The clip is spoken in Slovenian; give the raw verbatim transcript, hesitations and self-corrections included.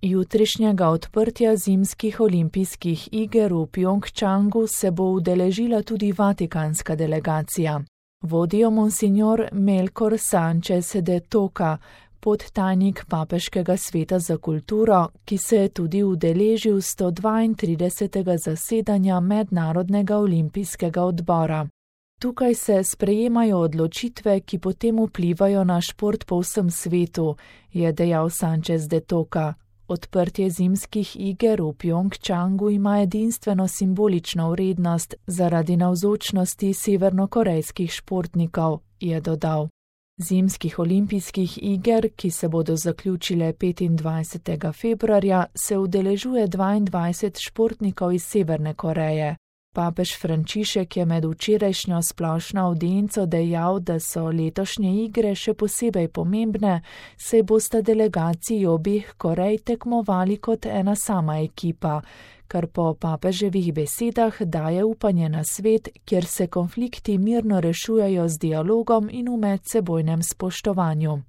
Jutrišnjega odprtja zimskih olimpijskih iger v Pjongčangu se bo udeležila tudi vatikanska delegacija. Vodijo monsignor Melkor Sanchez de Toca, podtajnik Papeškega sveta za kulturo, ki se je tudi udeležil sto dvaintridesetega zasedanja Mednarodnega olimpijskega odbora. Tukaj se sprejemajo odločitve, ki potem vplivajo na šport po vsem svetu, je dejal Sanchez de Toca. Odprtje zimskih iger v Pjongčangu ima edinstveno simbolično vrednost zaradi navzočnosti severnokorejskih športnikov, je dodal. Zimskih olimpijskih iger, ki se bodo zaključile petindvajsetega februarja, se udeležuje dvaindvajset športnikov iz Severne Koreje. Papež Frančišek je med včerajšnjo splošno avdienco dejal, da so letošnje igre še posebej pomembne, saj bosta delegaciji obeh Korej tekmovali kot ena sama ekipa, kar po papeževih besedah daje upanje na svet, kjer se konflikti mirno rešujejo z dialogom in v medsebojnem spoštovanju.